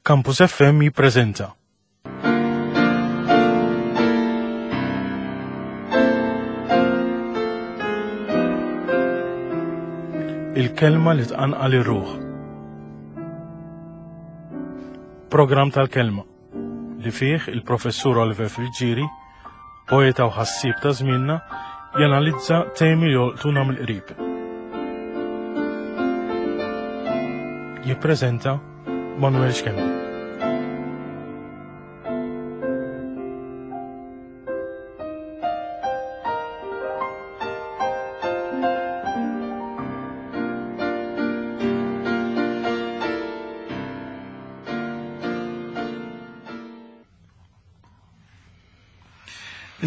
Campus FM jippreżenta. Il-kelma li tqanqal ir-ruħ. Programm tal-kelma li fih il-professur Oliver Friggieri, poeta u ħassieb ta' żmienna, janalizza temi li jolqtuna mill-qrib. Jippreżenta Manuel Schembri.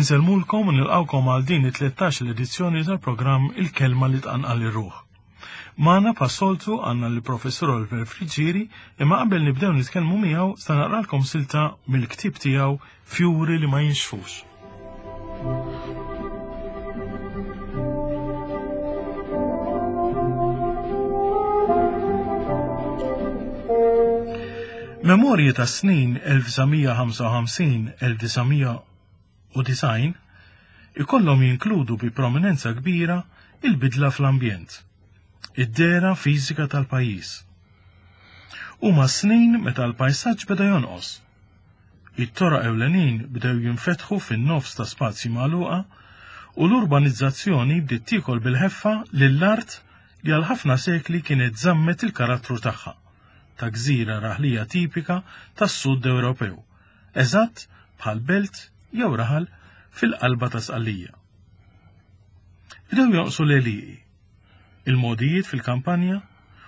Insellmulkom u nilqawkom għal din it-13 l-edizzjoni tal-programm Il-Kelma li tqanqal ir-ruħ. Magħna bħas-soltu għandna lill-Professur Oliver Friggieri imma qabel nibdew nitkellmu miegħu se naqralkom silta mill-ktieb tiegħu Fjuri li ma jinxfux. Memorji ta' snin 1955-1900 u design ikollhom jinkludu bi prominenza kbira il-bidla fl-ambjent, id-dehra fiżika tal-pajjiż. Huma s-snin meta l-pajsaġġ beda jonqos. It-toroq ewlenin bdew jinfetħu fin-nofs ta' spazji magħluqa u l-urbanizzazzjoni bdiet tiekol bil-ħeffa lill-art li għal ħafna sekli kienet żammet il-karattru tagħha ta' gżira raħlija tipika tas-Sud Ewropew eżatt bħal belt jew raħal fil-qalba ta' Sqallija. Bdew jonqsu l-għelieqi, il-mogħdijiet fil-kampanja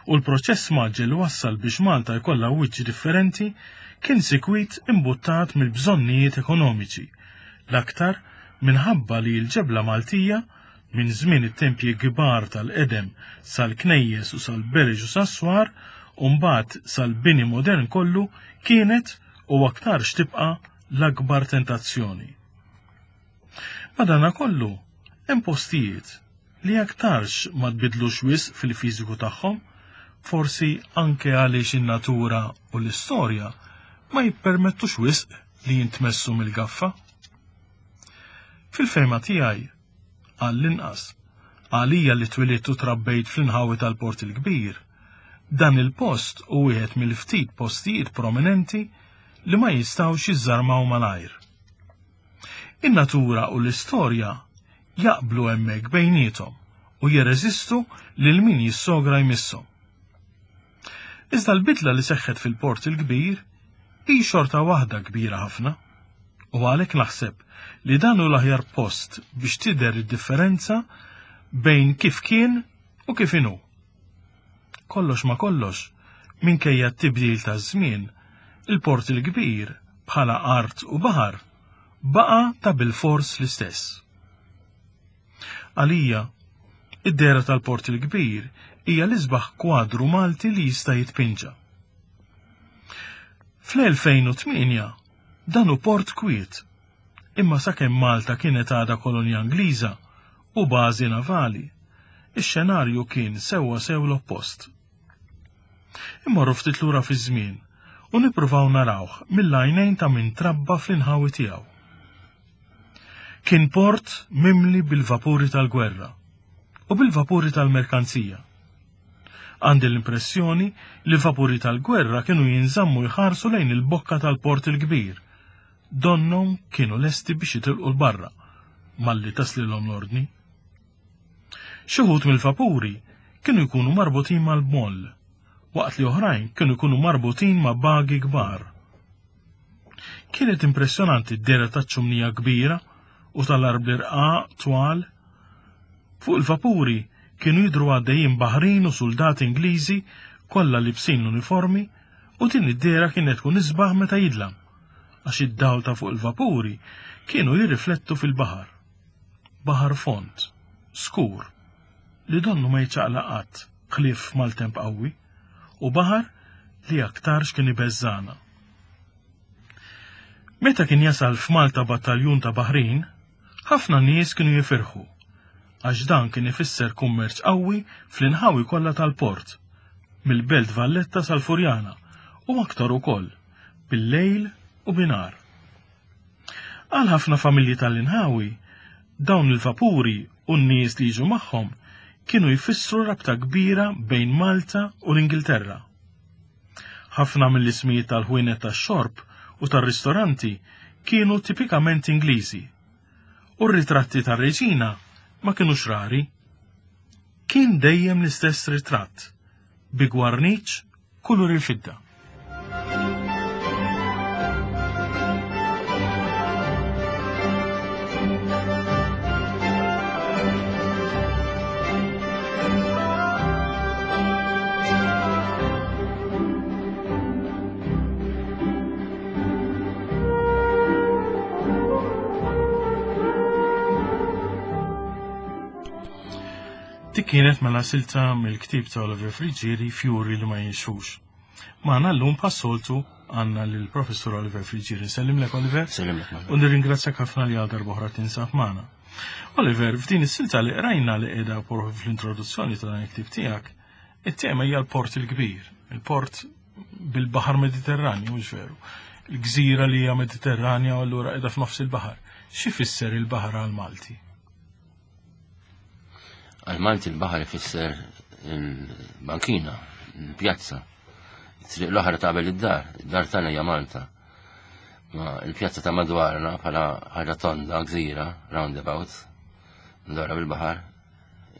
u l-proċess mgħaġġel li wassal biex Malta jkollha wiċċ differenti kien sikwit imbuttat mill-bżonnijiet ekonomiċi, l-aktar minħabba li l-ġebla Maltija minn żmien it-tempji kbar tal-qedem sal-knejjes u sal-bereġ u sas-swar u mbagħad sal-bini modern kollu kienet u aktarx tibqa' l-akbar tentazzjoni. Madanakollu, hemm postijiet li aktarx ma tbiddlux wisq fil-fiżiku tagħhom, forsi anke għaliex in-natura u l-istorja ma jippermettux wisq li jintmessu mill-gaffa. Fil-fehma tiegħi, għall-inqas, għalija li twilidt u trabbejt fl-inħawi tal-Port il-Kbir, dan il-post hu wieħed mill-ftit postijiet prominenti li ma jistgħux jiżżarmaw malajr. In-natura u l-istorja jaqblu hemmhekk bejniethom u jirreżistu lil min jissogra jmisshom. Iżda l-bidla li seħħet fil-Port il-Kbir hi xorta waħda kbira ħafna. U għalhekk naħseb li dan hu l-aħjar post biex tidher id-differenza bejn kif kien u kif inhu. Kollox ma kollox, minkejja t-tibdil taż-żmien, il-Port il-Kbir bħala art u baħar baqa' ta' bilfors l-istess. Għalija, id-dehra tal-Port il-Kbir hija l-isbaħ kwadru Malti li jista' jitpinġa. Fl-2008 dan hu port kwiet, imma sakemm Malta kienet għadha kolonja Ingliża u bażi navali, ix-xenarju kien sewwa sew l-oppost. Immorru ftit lura fiż-żmien u nippruvaw narawh mill-għajnejn ta' min trabba fl-inħawi tiegħu. Kien port mimli bil-vapuri tal-gwerra u bil-vapuri tal-merkanzija. Għandi l-impressjoni li vapuri tal-gwerra kienu jinżammu jħarsu lejn il-bokka tal-port il-kbir. Donnhom kienu lesti biex jitilqu l-barra, malli taslilhom l-ordni. Xi wħud mill-vapuri kienu jkunu marbutin mal-moll, waqt li oħrajn kienu jkunu marbutin ma' bagi kbar. Kienet impressjonanti d-dehra taċ-ċumnija kbira u tal-arbli rqaq twal. Fuq il-vapuri kienu jidhru għaddejjin baħrin u suldati Ingliżi kollha libsin l-uniformi u din id-dehra kienet tkun isbaħ meta jidlam għax id-dawl ta' fuq il-vapuri kienu jirriflettu fil-baħar. Baħar fond, skur, li donnu ma jiċċaqlaq qatt ħlief f'maltemp qawwi, u baħar li aktarx kien ibeżżagħna. Meta kien jasal f'Malta battaljun ta' baħrin, ħafna nies kienu jifirħu, għax dan kien ifisser kummerċ qawwi fl-inħawi kollha tal-port, mill-Belt Valletta sal-Furjana, u aktar ukoll. bil-lejl u binhar. Għal ħafna familji tal-inħawi, dawn il-vapuri u n-nies li jiġu magħhom kienu jfissru rabta kbira bejn Malta u l-Ingilterra. Ħafna mill-ismijiet tal-ħwienet tax-xorb u tar-ristoranti kienu tipikament Ingliżi, u r-ritratti tar-reġina ma kinux rari. Kien dejjem l-istess ritratt, bi gwarniċ kulur il-fidda. Dik kienet mela silta mill-ktieb ta' Oliver Friggieri Fjuri li ma jinxfux. Magħna llum bħas-soltu għandna lill-Professur Oliver Friggieri. Nsellimlek Oliver. Sellimlek. U nirringrazzjak ħafna li għal darb'oħra tinsab magħna. Oliver, f'din is-silta li qrajna li qiegħda fl-introduzzjoni ta' dan il-ktieb tiegħek, it-tema hija l-Port il-Kbir, il-port bil-Baħar Mediterranju, mhux veru. Il-gżira li hija Mediterranja u allura qiegħda f'nofs il-baħar. Xi fisser il-baħar għal Malti? Għal Malti l-baħar ifisser il-bankina, il-pjazza. Triq l-oħra ta' qabel id-dar, id-dar tagħna hija Malta. Ma il-pjazza ta' madwarna bħala ħaġa tonda, gżira, roundabout, ndora bil-baħar,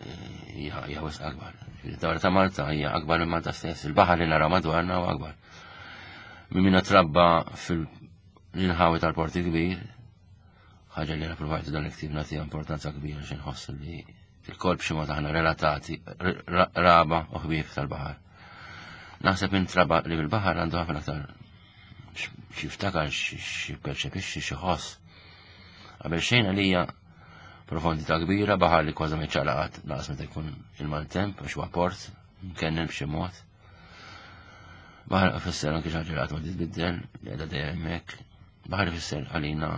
eh, hija wisq akbar. Id-dar ta' Malta hija akbar minn Malta stess, il-baħar li naraw madwarna huwa akbar. Minn minna trabba fil-inħawi tal-Porti Kbir, ħaġa li provajtu dan il-ktib nagħtiha importanza kbira xi nħoss li il-kolb xi mod aħna relatati raba u ħbieb tal-baħar. Naħseb intraba li bil-baħar għandu ħafna aktar xi ftakar, xi perċepixxi, xi ħoss. Qabel xejn għalija profondità kbira, baħar li kważi ma jċaqlaqat laqas meta jkun il-maltemp għax huwa port, mkennen b'xi mod. Baħar ifisser anke xi ħaġa li qatt ma titbiddel, li qiegħda dejjem hemmhekk. Baħar ifisser għalina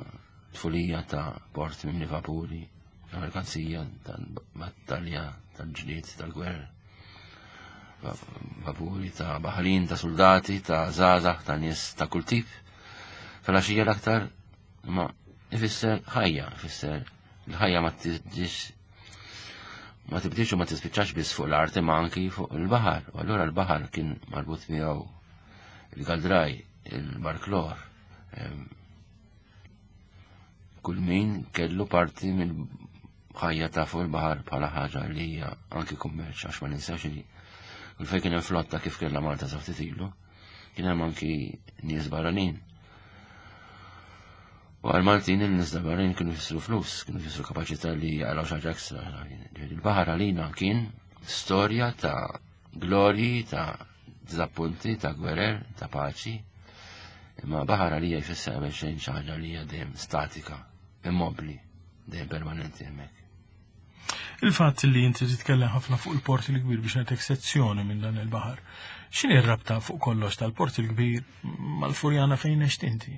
tfulija ta' port mimli vapuri, ta' merkanzija, ta' battalja, tal-ġlied, tal-gwerra. Vapuri ta' baħrin, ta' soldati, ta' żgħażagħ, ta' nies ta' kull tip. Fil-għaxija l-aktar ma ifisser ħajja, ifisser l-ħajja ma tiġix ma tibdix u ma tispiċċax biss fuq l-art imma anki fuq il-baħar. U allura l-baħar kien marbut miegħu il-galdraj, il-barklor. Kull min kellu parti mill ħajja ta' fuq il-baħar bħala ħaġa li hija anki kummerċ għax ma ninsax li kull fejn kien hemm flotta kif kellha Malta sa ftit ilu, kien hemm anki nies barranin. U għal Maltin il-nies barranin kienu jfissru flus, kienu jfissru kapaċità li jaqraw xi ħaġa ekstra. Il-baħar għalina kien storja ta' glorji, ta' diżappunti, ta' gwerer, ta' paċi. Imma baħar għalija jfisser qabel xejn xi ħaġa li hija dejjem statika, immobbli, dejjem permanenti hemmhekk. Il-fatt li inti titkellem ħafna fuq il-Port il-Kbir biex ngħidlek sezzjoni minn dan il-baħar. X'inhi r-rabta fuq kollox tal-Port il-Kbir mal-Furjana fejn għext inti?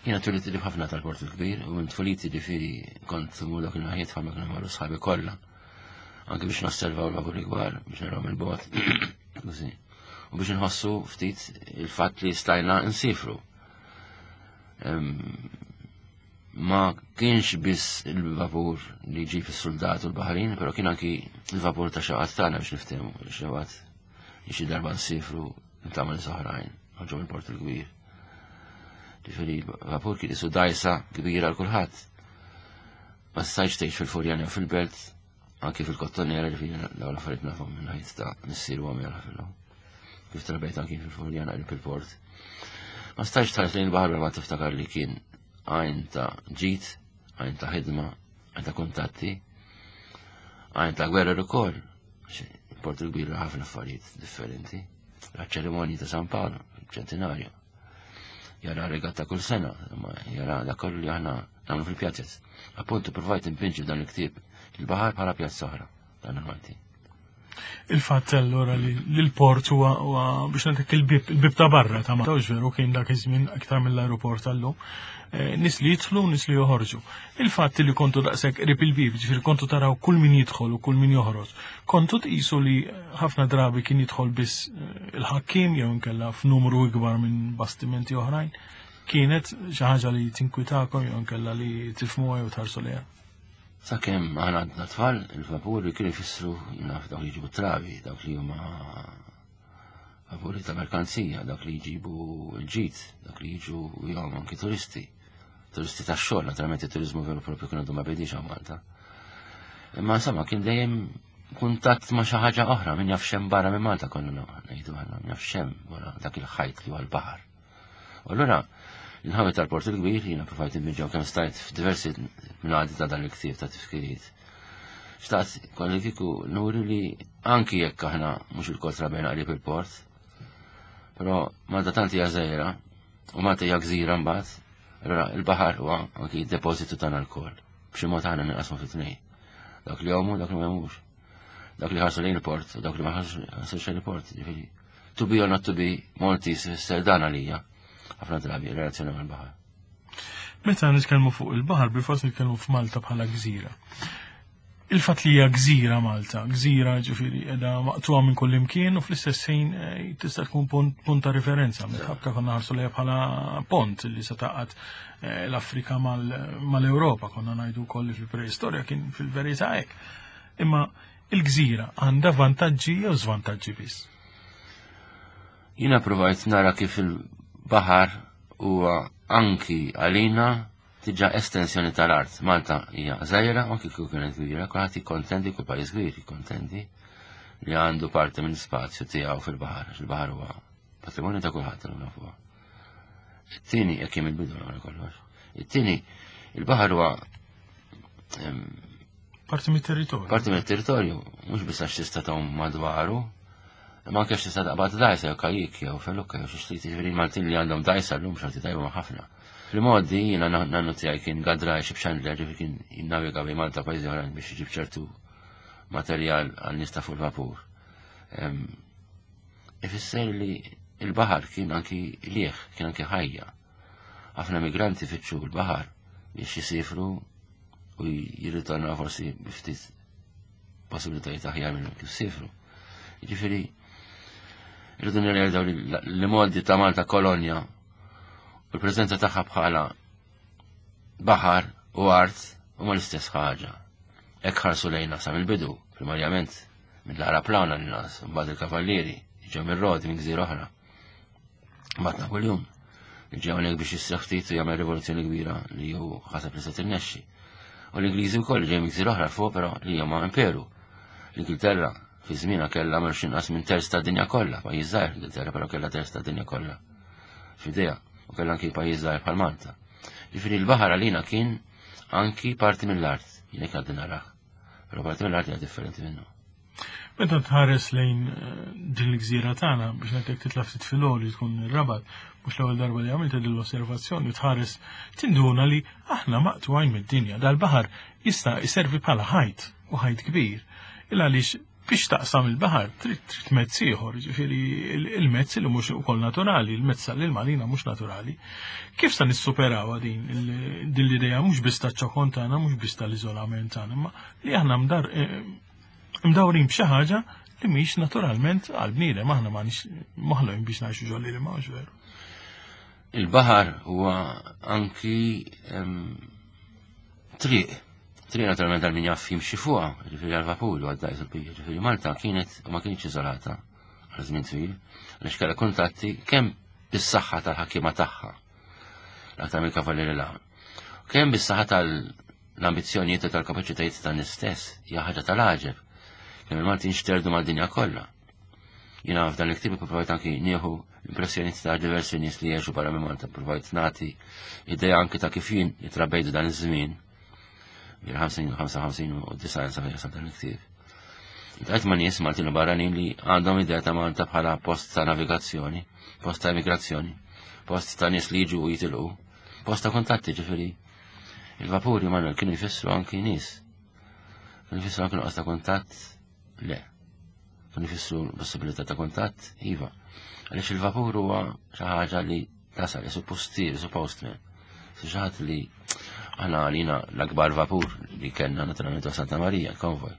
Jiena twilidt qrib ħafna tal-Port il-Kbir u minn tfuliti ġifieri kont imur dak il-naħiet bħalma kienu jmorru sħabi kollha. Anke biex nosservaw l-vapuri kbar, biex naraw mill-bogħod. U biex inħossu ftit il-fatt li stajna nsifru. Ma kienx biss il-vapur li ġi fis-soldat u l-baħrin, però kien anki il-vapur ta' xaqat tagħna biex niftehmu, xaqat li xi darba nsifru nitgħamel soħrajn, ħarġu mill-Port il-Kbir. Ġifieri vapur kien isu dajsa kbira għal kulħadd. Ma stajtx tgħix fil-Furjana jew fil-Belt, anki fil-Kottonera ġifieri dawn l-affarijiet nafhom minn ħajt ta' missier u għamel ħafilhom. Kif trabejt anki fil-Furjana qrib il-port. Ma stajtx tħares lejn il-baħar ma tiftakar li kien għajn ta' ġid, għajn ta' ħidma, għajn ta' kuntatti, għajn ta' gwerra ukoll. Il-port il-kbir ħafna affarijiet differenti. La ċerimonji ta' San Paolo, ċentinarju. Jara regatta kull sena, imma jara dak kollu li aħna nagħmlu fil-pjazez. Appuntu provajt impinġi dan il-ktieb il-baħar bħala pjazza oħra dan il-Malti. Il-fatt allura li l-port huwa biex ngħidlek il-bib, il-bib ta' barra ta' Malta, veru kien dak iż-żmien aktar mill-aeroport tal-lum. Eh, nis li jidħlu, nis li joħorġu. Il-fatt li kontu daqshekk qrib il-bib, ġifieri kontu taraw kull min jidħol u kull min joħroġ, kontu tqisu li ħafna drabi kien jidħol biss eh, il-ħakkim jew inkella f'numru ikbar minn bastimenti oħrajn. Kienet xi ħaġa li tinkwitakom jew inkella li tifhmuha jew tħarsu lejha. Sakemm aħna għadna tfal, il-vapuri kienu jfissru naf dawk li jġibu trabi, dawk li huma vapuri ta' merkanzija, dawk li jġibu l-ġid, dawk li jiġu jgħom anki turisti. Turisti ta' xogħol, naturalment it-turizmu veru propju kienu għadu ma bidix hawn Malta. Imma insomma kien dejjem kuntatt ma' xi ħaġa oħra, min jaf xem barra minn Malta konna ngħidu aħna, min jaf xem wara dak il-ħajt li huwa l-baħar. U allura l-inħawi tal-Port il-Kbir jiena provajt nbiġġaw kemm stajt f'diversi mnadi ta' dan il-ktieb ta' tifkiriet. Xtaqt kolli kieku nuri li anki jekk aħna mhux il-kol trabejna qrib il-port, però Malta tant hija żgħira u Malta hija gżira mbagħad, allura il-baħar huwa anki depożitu tagħna lkoll. B'xi mod aħna ninqasmu fi tnejn. Dak li jgħumu, dak li ma jgħumux. Dak li ħarsu lejn il-port, dak li ma ħarsux lejn il-port, ġifieri. To be or not to be, Maltese fisser dan għalija. Ħafna drabi, relazzjoni mal-baħar. Meta nitkellmu fuq il-baħar, bil-fors nitkellmu f'Malta bħala gżira. Il-fatt li hija gżira Malta, gżira ġifieri qiegħda maqtuha minn kull imkien u fl-istess ħin eh, tista' tkun punt ta' referenza. Ħabta konna ħarsu lejha bħala pont li se taqgħad eh, l-Afrika mal-Ewropa, konna ngħidu wkoll li fil-preistorja kien fil-verità hekk. Imma il-gżira għandha vantaġġi jew żvantaġġi biss? Jiena provajt nara kif il-baħar huwa anki għalina tiġa estensjoni tal-art. Malta hija żgħira, anki kieku kienet kbira, kulħadd jikkontendi, kull pajjiż kbir jikkontendi li għandu parti minn spazju tiegħu fil-baħar, il-baħar huwa patrimonju ta' kulħadd illum nafuha. It-tieni jekk hemm il-bidu wara kollox. It-tieni il-baħar huwa Parti mit-territorju. Parti mit-territorju, mhux biss għax tista' tgħum madwaru, imma anke tista' taqbad dajsa jew kajik jew felukka jew xi xtrid jiġifieri Maltin li għandhom dajsa llum xorti tajba ma' ħafna. Fil-modi jiena nannu tiegħi kien gadraj xi b'Chandler ġifieri kien jinnaviga bejn Malta pajjiżi oħrajn biex iġib ċertu materjal għal nies ta' fuq il-vapur. Ifisser li il-baħar kien anki lieħ, kien anki ħajja. Ħafna migranti fittxu l-baħar biex jisifru u jirritornaw forsi biftit possibilitajiet aħjar minn kif sifru. Jiġifieri irridu nirrealizzaw li modi ta' Malta kolonja u l-preżenza tagħha bħala baħar u art huma l-istess ħaġa. Hekk ħarsu lejna sa mill-bidu, primarjament mill-Arab Plana l-nas, mbagħad il-Kavallieri, ġew mir-Rodi minn gżira oħra. Mbagħad Napoleon li ġew hawnhekk biex jisseħ ftit u jagħmel rivoluzzjoni kbira li hu ħaseb li se tirnexxi. U l-Ingliżi wkoll ġej minn gżira oħra fuq però li huma imperu. L-Ingilterra fi żmienha kellha mhux inqas minn terz tad-dinja kollha, pajjiż żgħir l-Ingilterra però kellha terz tad-dinja kollha f'idejha u kellha anki pajjiż żgħir bħal Malta. Ġifieri l-baħar għalina kien anki parti mill-art, jien hekk għaddi narah. Però parti mill-art hija differenti minnu. Meta tħares lejn eh, din l-gżira tagħna biex ngħidlek titla' ftit fil-għoli tkun ir-Rabat, mhux l-ewwel darba li għamilt din l-osservazzjoni tħares tinduna li aħna maqtugħin mid-dinja. Dal-baħar jista' jservi bħala ħajt u ħajt kbir. Il għaliex biex taqsam il-baħar trid trid mezz ieħor, ġifieri il-mezz li mhux ukoll naturali, il-mezz tal-ilma mhux naturali. Kif sa nissuperawha din din l-idea mhux biss taċ-ċokon tagħna, mhux biss tal-iżolament tagħna, imma li aħna mdar eh, mdawrin b'xi ħaġa li mhix naturalment għal bniedem aħna m'għandix maħluqin biex ngħixu ġol ilma mhux veru. Il-baħar huwa anki triq. Triq naturalment għal min jaf jimxi fuqha, ġifieri għal vapur u għad-dajs il-bija. Ġifieri Malta kienet u ma kienx iżolata għal żmien twil, għaliex kellha kuntatti kemm bis-saħħa tal-ħakkiema tagħha, l-aktar mill-kavallieri l Kemm bis-saħħa tal-ambizzjonijiet u tal-kapaċitajiet tan-nies stess, hija ħaġa tal-għaġeb. Kemm il-Maltin xterdu mal-dinja kollha. Jiena f'dan il-ktieb provajt anki nieħu l-impressjonijiet ta' diversi nies li jgħixu barra minn Malta, provajt nagħti idea anki ta' kif jien jitrabbejtu dan iż-żmien. Bil-50, 55 u 90 sa jasal dan il-ktieb. Iltqajt ma' nies Maltin u barranin li għandhom idea ta' Malta bħala post ta' navigazzjoni, post ta' immigrazzjoni, post ta' nies li jiġu u jitilqu, post ta' kuntatti ġifieri. Il-vapuri Manuel kienu jfissru anki nies. Kienu jfissru anki nuqqas ta' kuntatt? Le. Kienu jfissru l-possibilità ta' kuntatt, iva. Għaliex il-vapur huwa xi ħaġa li tasal, jisu postier, jisu postman. Xi ħadd li aħna għalina l-akbar vapur li kellna naturalment Santa Marija, konvoj.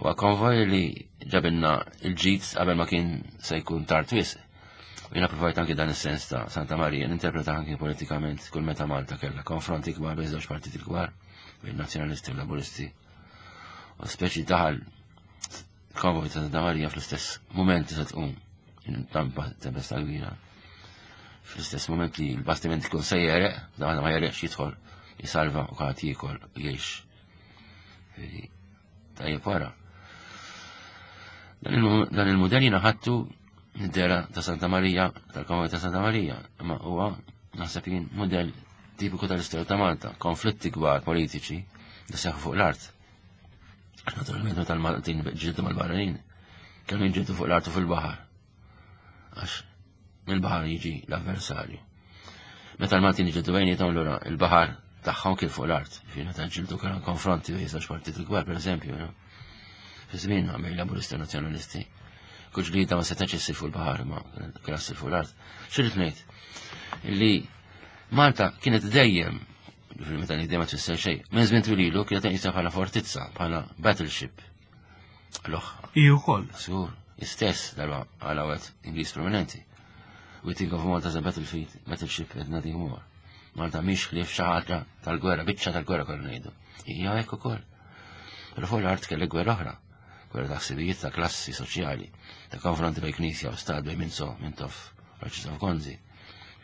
Huwa konvoj li ġabilna il-ġid qabel ma kien se jkun tard wisq. U jiena provajt anki dan is-sens ta' Santa Marija ninterpreta anki politikament kull meta Malta kellha konfronti kbar bejn żewġ partiti kbar, bejn nazzjonalisti u laburisti. U speċi daħal konvoj ta' Santa Marija fl-istess moment se tqum tampa tempesta kbira. Fl-istess moment li l-bastiment ikun se jereq, da ma jereqx jidħol, jisalva u kulħadd jiekol u jgħix. Tajjeb wara. Dan il-mudell jiena ħadtu mid-dera ta' Santa Marija, tal-Konvent ta' Santa Marija, imma huwa naħseb jien mudell tipiku tal-istorja ta' Malta, konflitti kbar politiċi li seħħu fuq l-art. Naturalment meta l-Maltin ġildu mal-barranin, kienu jinġildu fuq l-art u fil-baħar. Għax mill-baħar jiġi l-avversarju. Meta l-Maltin ġildu bejnietom lura il-baħar tagħhom kien fuq l-art. Fi meta ġildu kienu konfronti bejn żewġ partiti kbar, pereżempju, no? Fi żmien bejn laburisti u nazzjonalisti. Kull ġlieda ma setax issir fuq il-baħar, ma kien issir fuq l-art. Xirrid ngħid? Li Malta kienet dejjem, meta ngħid dejjem ma tfisser xejn, minn żmien twil ilu kienet tqisha bħala fortizza, bħala battleship. L-oħra. Hi wkoll. Żgur, istess darba għal għawet Ingliż prominenti. We think of Malta as a battlefield, battleship and nothing more. Malta mhix ħlief xi ħaġa tal-gwerra, biċċa tal-gwerra kollu ngħidu. Hija hekk ukoll. Però fuq l-art kellek gwerra oħra, gwerra ta' ħsibijiet ta' klassi soċjali, ta' konfronti bejn knisja u stat bejn Minzo, Mintoff, Arċisqof Gonzi,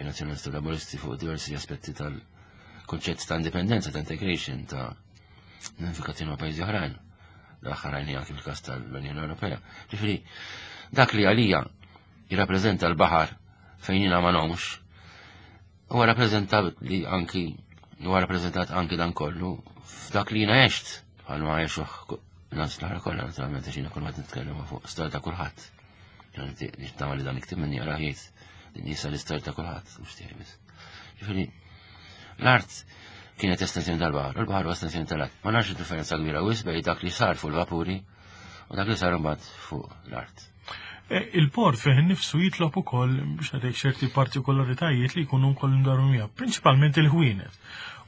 in-Nazzjonalisti u Laburisti fuq diversi aspetti tal-konċett ta' indipendenza, ta' integration, ta' unifikazzjoni ma' pajjiżi oħrajn. L-aħħar għajni anki fil-każ tal-Unjoni Ewropea. Ġifieri, dak li għalija jirrappreżenta l-baħar fejn jiena ma nomx, huwa rappreżentabbli anki huwa rappreżentat anki dan kollu f'dak li jiena għext bħalma għexuh nas l-ħara kollha naturalment għax jiena kull ma nitkellem fuq storja ta' kulħadd. Nittama li dan iktib minni jara jgħid din jisa l-istorja ta' kulħadd mhux tiegħi biss. Ġifieri l-art kienet estensjoni tal-baħar, u l-baħar huwa estensjoni tal-art. Ma nafx differenza kbira wisq bejn dak li sar fuq il-vapuri u dak li sar imbagħad fuq l-art. E, il-port fih innifsu jitlob ukoll biex ngħidlek ċerti partikolaritajiet li jkunu wkoll imdaru miegħu, prinċipalment il-ħwienet.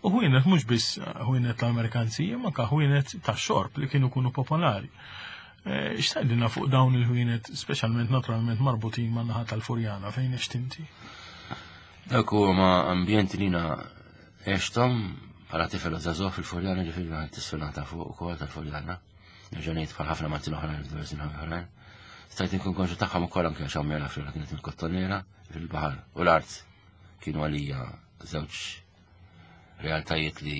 U ħwienet mhux biss ħwienet tal-merkanzija, ma ka ħwienet tax-xorb li kienu jkunu popolari. E, x'tgħidilna fuq dawn il-ħwienet, speċjalment naturalment marbutin man naħa tal-Furjana fejn għext inti? Dak huma ambjenti li jiena għexthom bħala tifel u żagħżugħ fil-Furjana, ġifieri tisfel ta' fuq ukoll tal-Furjana. Nerġa' ngħid bħal ħafna Maltin oħrajn f'diversi nħawi oħrajn. Stajt inkun konxu tagħhom ukoll anke għax ommi għal kienet il-kottonera fil-baħar u l-art kienu għalija żewġ realtajiet li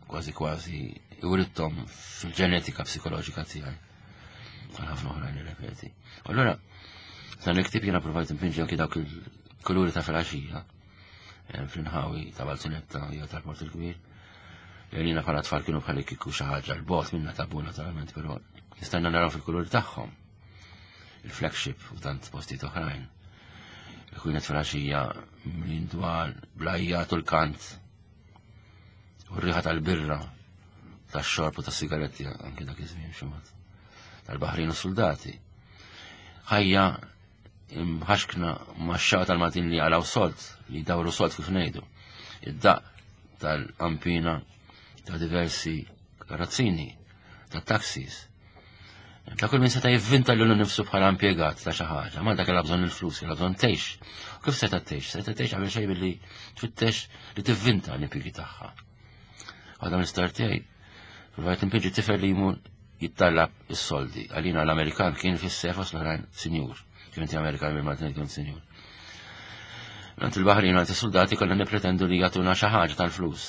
kważi kważi urittom fil-ġenetika psikoloġika tiegħi. Għal ħafna oħrajn nirrepeti. Allura, dan il-ktib jiena provajt impinġi anki dawk il-kuluri ta' filgħaxija eh, fl-inħawi ta' Balzunetta jew tal-Port il-Kbir. Li bħala tfal kienu bħal kieku xi ħaġa l-bot minna tabu naturalment, però nistanna naraw fil-kulur tagħhom. Il-flagship u tant postijiet oħrajn. Il-kwinet filgħaxija minn dwar blajjat u l-kant u r-riħa tal-birra tax-xorb u tas-sigaretti anke dak iż-żmien xi mod. Tal-baħrin u soldati. Ħajja imħaxkna max-xaqqa tal-Maltin li għalaw solt, li dawru solt kif ngħidu. Id-daq tal-qampina ta' diversi karrozzini, ta' taxis. Ta' kull min seta' jivvinta lilu nifsu bħala impjegat ta' xi ħaġa, Malta kellha bżonn il-flus, kellha bżonn tgħix. U kif seta' tgħix? Seta' tgħix qabel xejn billi tfittex li tivvinta l-impjiegi tagħha. Għadha mill-istorja tiegħi, provajt impinġi tifel li jmur jittallab is-soldi. Għalina l-Amerikan kien fis-sef l-oħrajn sinjur. Kien inti Amerikan bil Maltin kien sinjur. Għand il-Baħrin għand is-soldati konna nippretendu li jagħtuna xi ħaġa tal-flus.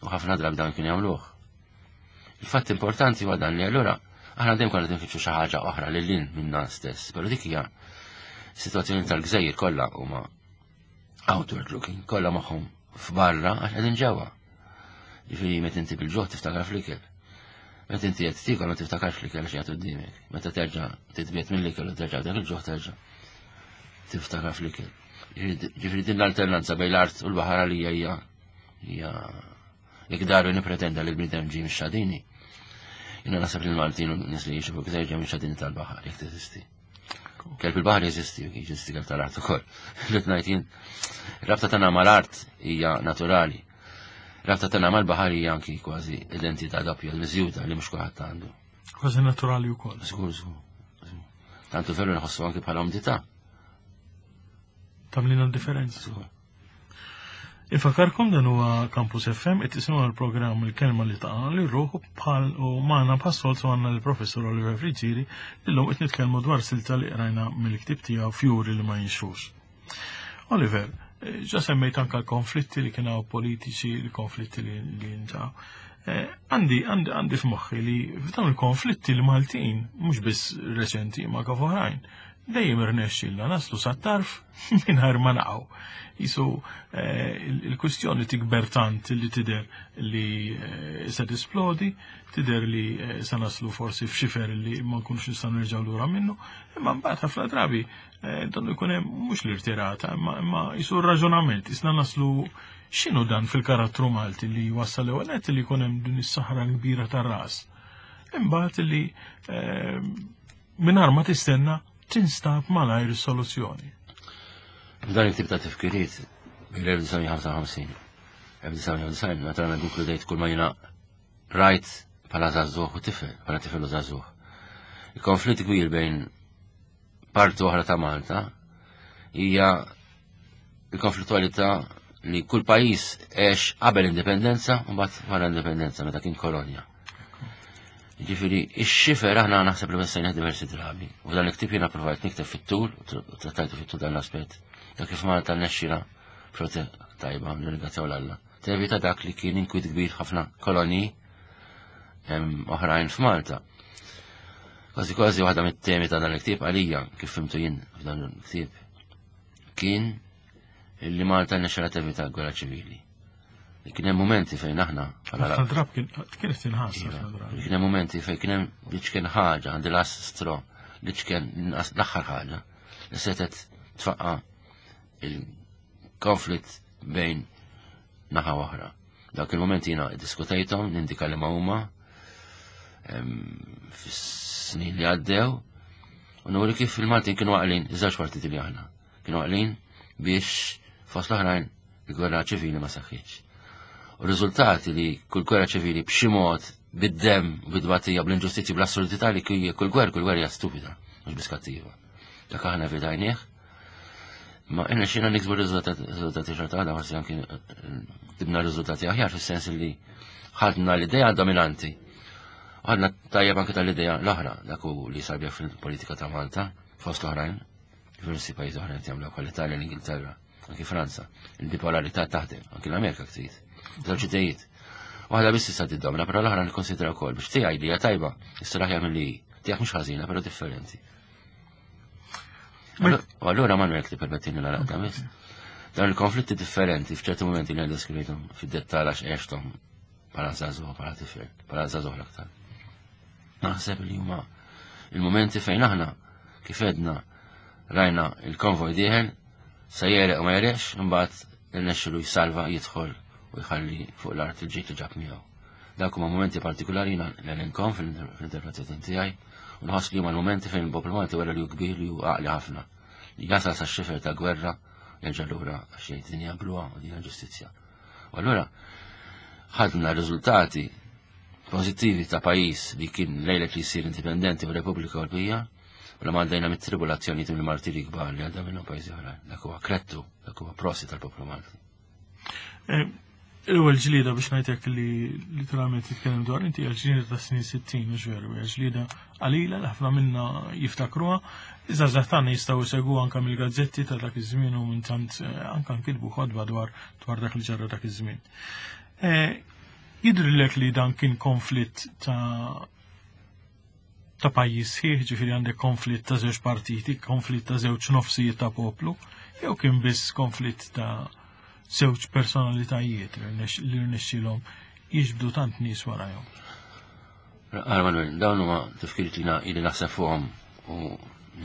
U ħafna drabi dan kien jagħmluh. Il-fatt importanti huwa dan li allura aħna dejjem konna tinfittxu xi ħaġa oħra lil lin minna stess, però dik hija situazzjoni tal-gżejjer kollha huma outward looking, kollha magħhom f'barra għax qegħdin ġewwa. Ġifieri meta inti bil-ġuħ tiftakar fl-ikel. Meta inti qed tiekol ma tiftakarx fl-ikel għax qiegħed quddiemek. Meta terġa' titbiet mill-ikel u terġa' dak il-ġuħ terġa' tiftakar fl-ikel. Ġifieri din l-alternanza bejn l-art u l-baħar għalija hija hija jekk Darwin ippretenda li l-bniedem ġie mix-xadini. Jiena naħseb li l-Maltin u nies li jgħixu fuq gżejjer ġew minn tal-baħar jekk teżisti. Kelb il-baħar jeżisti, jeżisti kelb tal-art ukoll. Li ngħid jien, rabta tagħna mal-art hija naturali. Rabta tagħna mal-baħar hija anki kważi identità doppja miżjuda li mhux kulħadd għandu. Kważi naturali wkoll. Żgur, żgur. Tantu veru nħossu anki bħala umdità. Tamlina differenza. Żgur. Infakarkom dan huwa Campus FM qed tisimgħu l-programm il-kelma li taqa' li ruħu bħal u magħna bħas-soltu għandna l-Professur Oliver Friggieri illum qed nitkellmu dwar silta li qrajna mill-ktieb tiegħu Fjuri li ma jinxfux. Oliver, eh, ġa semmejt anka l-konflitti li kien hawn politiċi, l-konflitti li nġaw. Eh, għandi għandi għandi f'moħħi li f'dawn il-konflitti l-Maltin, mhux biss reċenti ma kif oħrajn, dejjem irnexxilna naslu sat-tarf mingħajr ma naqgħu. Jisu eh, il-kwistjoni tikber tant li tidher li eh, se tisplodi, tidher li se naslu forsi f'xifer li ma nkunux nistgħu nerġgħu lura minnu, imma mbagħad ħafna drabi donnu jkun hemm mhux l-irtirata, imma jisu r-raġunament, isna naslu x'inhu dan fil-karattru Malti li wassal l-ewwel nett li jkun hemm din is-saħra kbira tar-ras. Imbagħad li eh, mingħajr ma tistenna tinstab malajr is-soluzzjoni. F'dan il-tip ta' tifkiriet mill-1955, 1990, naturalment inkludejt kull ma jiena rajt bħala żagħżugħ u tifel, bħala tifel u żagħżugħ. Il-konflitt kbir bejn parti oħra ta' Malta hija l-konflittualità li kull pajjiż għex qabel indipendenza u mbagħad wara indipendenza meta kien kolonja. Ġifieri, ix-xifer aħna naħseb li messejna diversi drabi. U dan il-ktieb jiena provajt nikteb fit-tul, u trattajtu fit-tul dan l-aspett, ta' kif Malta nexxila xorta tajba, nirringrazzjaw l-Alla. Tevita dak li kien inkwiet kbir ħafna kolonji oħrajn f'Malta. Kważi kważi waħda mit-temi ta' dan il-ktieb għalija, kif fimtu jien f'dan il-ktieb, kien li Malta nexxela tevita gwerra ċivili. Li kien hemm momenti fejn aħna bħala drab kienet tinħass iva, Kien hemm momenti fejn kien hemm li ċken ħaġa għandi las stro li ċken l-aħħar ħaġa li setet tfaqqa il-konflitt bejn naħa oħra. Dak il-moment jiena diskutejthom, nindika li ma huma fis-snin li għaddew, u nuri kif il-Maltin kienu għaqlin, iż-żewġ partiti li aħna, kienu għaqlin biex fost l-oħrajn il-gwerra ċivili ma saħħitx. U riżultati li kull gwerra ċivili b'xi mod bid-dem, bid-dbatija, bl-inġustizzi, bl-assurdità li kull gwerra, kull gwerra hija stupida, mhux biss kattiva. Dak aħna evitajnieh, Ma inna xina niksbu riżultati xorta għada, forsi anki eh, tibna riżultati aħjar fis-sens li ħadna l-idea dominanti. Ħadna tajjeb anki tal-idea l-oħra, dak hu li sar fil-politika ta' Malta, fost l-oħrajn, diversi pajjiżi oħrajn jagħmlu bħal l-Italja, l-Ingilterra, anki Franza. Il-bipolarità taħdem, anki l-Amerika ktit. Żewġ idejiet. Waħda biss tista' tiddomina, però l-oħra nikkonsidra wkoll biex tiegħi li hija tajba, issa l-aħjar milli tiegħek mhux ħażina, però differenti. U allura Manuel ti permettini la laqta biss. Dawn il-konflitti differenti f'ċerti momenti li għandha skrivejthom fid-dettal għax għexthom bħala żagħżugħ, bħala tifel, bħala żagħżugħ l-aktar. Naħseb li huma il-momenti fejn aħna kif edna rajna il-konvoj dieħel se jereq u ma jereqx, imbagħad irnexxilu jsalva jidħol u jħalli fuq l-art il-ġid li ġab miegħu. Dawk huma momenti partikulari jiena nelenkhom fil-interpretazzjoni tiegħi u nħoss li huma l-momenti fejn il-poplu Malti wera li hu kbir li hu għaqli ħafna. Li jasal sa xifer ta' gwerra jerġa' lura għax jgħid din hija bluha u din hija ġustizzja. U allura ħadna riżultati pożittivi ta' pajjiż li kien lejlet li jsir indipendenti u Repubblika Ewropea u li għaddejna mit-tribulazzjonijiet u mill-martiri kbar li għadda minnhom pajjiżi oħrajn. Dak huwa krettu, dak huwa prosi tal-poplu Malti. Eh, l-ewwel ġlieda biex ngħidlek li literalment titkellem dwar inti hija ġlieda ta' snin 60 mhux veru, hija ġlieda qalila li ħafna minna jiftakruha. Iżda tagħna jistgħu jsegwu anke mill-gazzetti ta' dak iż-żmien u minn tant eh, anke nkitbu ħodba dwar dwar dak li ġara dak iż-żmien. Eh, jidhrilek li dan kien konflitt ta' ta' pajjiż sħiħ, ġifieri għandek konflitt ta' żewġ partiti, konflitt ta' żewġ nofsijiet ta' poplu, jew kien biss konflitt ta' żewġ personalitajiet li rnexxilhom jiġbdu tant nies warajhom. Għara Manuel, dawn huma tifkiriet li ili naħseb fuqhom u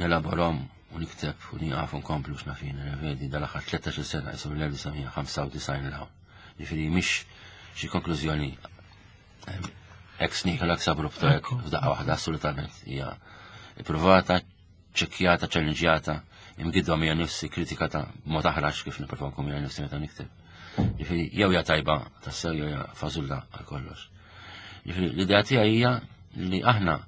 nelaborhom u nikteb u nieqaf u nkomplu x'nafin, revedi dal-aħħar 13 sena jisu mill-1995 l-hawn. Ġifieri mhix xi konklużjoni. Ex nihilo ex abrupto hekk f'daqqa waħda assolutament hija ippruvata, ċekkjata, ċellinġjata, imgidwa mija nifsi, kritikata b'mod aħrax kif nipprova nkun mija nifsi meta nikteb. Ġifieri jew hija tajba tassew jew hija fażulla għal kollox. Ġifieri l-idea tiegħi hija li aħna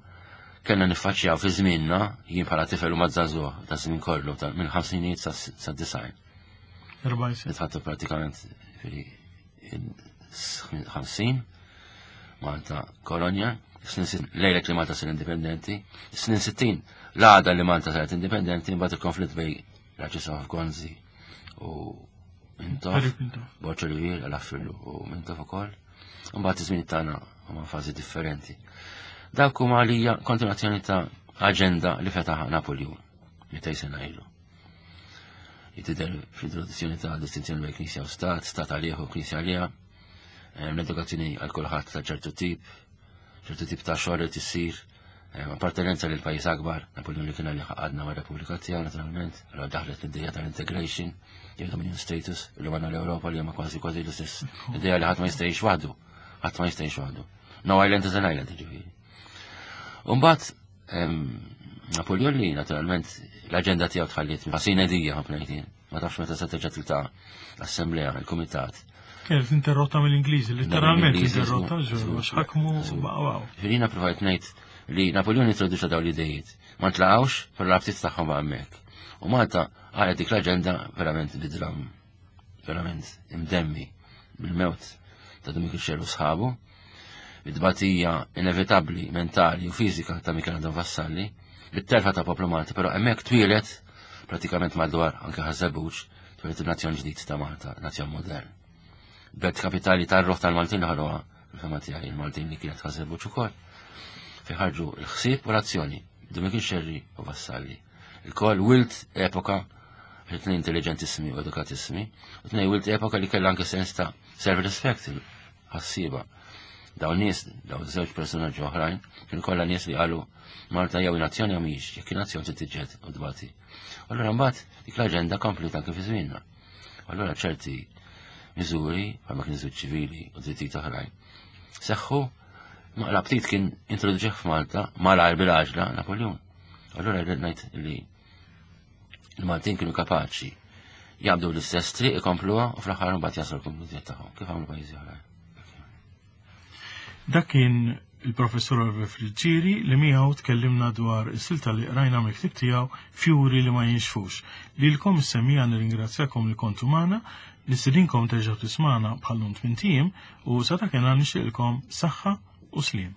kellna niffaċċjaw fi żmienna, jien bħala tifel u mażżagħżugħ ta' żmien kollu ta' minn ħamsinijiet sa' design. Nitħattu pratikament ġifieri 50 Malta kolonja, snin lejlet li Malta sar indipendenti, snin 60 l-għada li Malta saret indipendenti, mbagħad il-konflitt bej l-Arċisqof Gonzi u Mintoff, Borġ Olivier, għal-Affillu u Mintoff ukoll. Mbagħad iż-żmien tagħna huma fażi differenti. Dawk huma għalija kontinuazzjoni ta' aġenda li fetaħ Napoleon 200 sena ilu. Jitider fl-introduzzjoni ta' distinzjoni bejn Knisja u Stat, Stat għalih u Knisja għaliha, l-edukazzjoni għal kulħadd ta' ċertu tip, ċertu tip ta' xogħol li tissir, appartenenza lil pajjiż akbar, Napoleon li kien għalih għadna ma' Repubblika tiegħu naturalment, allura daħlet l-idea tal-integration, jew dominion status, li għandna l-Ewropa li huma kważi kważi l-istess idea li ħadd ma jista' jgħix waħdu, ħadd ma jista' jgħix waħdu. No island is an island, ġifieri. Umbagħad Napoleon li naturalment l-aġenda tiegħu tħalliet ħasin edija ħafna jtien. Ma tafx meta se terġa' tiltaqa' l-assemblea, il-kumitat. Kienet interrotta mill-Ingliżi, literalment interrotta għax ħakmu baqgħu. Ġifieri provajt ngħid li Napoleon introduċa dawn l-idejiet. Ma ntlaqgħux, però l-abtit tagħhom baqa' hemmhekk. U Malta għalet dik l-aġenda verament bidram, verament imdemmi bil-mewt ta' Dominiku Xerru sħabu, bit-tbatija inevitabbli mentali u fiżika ta' Michel Anton Vassalli, bit-telfa ta' poplu Malti, però hemmhekk twieled pratikament madwar anke Ħaż-Żebbuġ, twieled il-nazzjon ġdid ta' Malta, nazzjon modern. Belt kapitali tar-ruħ tal-Maltin li ħolqoha, fil-fehma tiegħi, il-Maltin li kienet Ħaż-Żebbuġ ukoll, fejn ħarġu l-ħsieb u l-azzjoni, Dominiku Xerri u Vassalli. Il-koll wilt epoka li tnejn intelligentissimi u edukatissimi, u tnejn wilt epoka li kellha anke sens ta' self-respect, ħassieba. Dawn nies, dawn żewġ personaġġi oħrajn, kienu kollha nies li qalu Malta jew nazzjoni jew mhijiex, jekk nazzjon trid tiġġed u tbati. Allura mbagħad dik l-aġenda komplet anke fi żmienna. Allura ċerti miżuri, bħalma kien żwieġ ċivili u drittijiet oħrajn, seħħu ma l-aptit kien introduċih f'Malta malajr bil-għaġla Napoleon. Allura rrid ngħid li l-Maltin kienu kapaċi jabdu l-istess triq ikompluha u fl-aħħar mbagħad jaslu l-konklużjoni tagħhom kif għamlu pajjiżi oħrajn. Dak kien il-professur Oliver Friggieri li miegħu tkellimna dwar is-silta li qrajna mill-ktieb tiegħu Fjuri li ma jinxfux. Lilkom is-semmiegħa nirringrazzjakom li kontu magħna, nistedinkom terġgħu tismagħna bħal-lum tmint ijiem u sa dakinhar nixtieqilkom saħħa u sliem.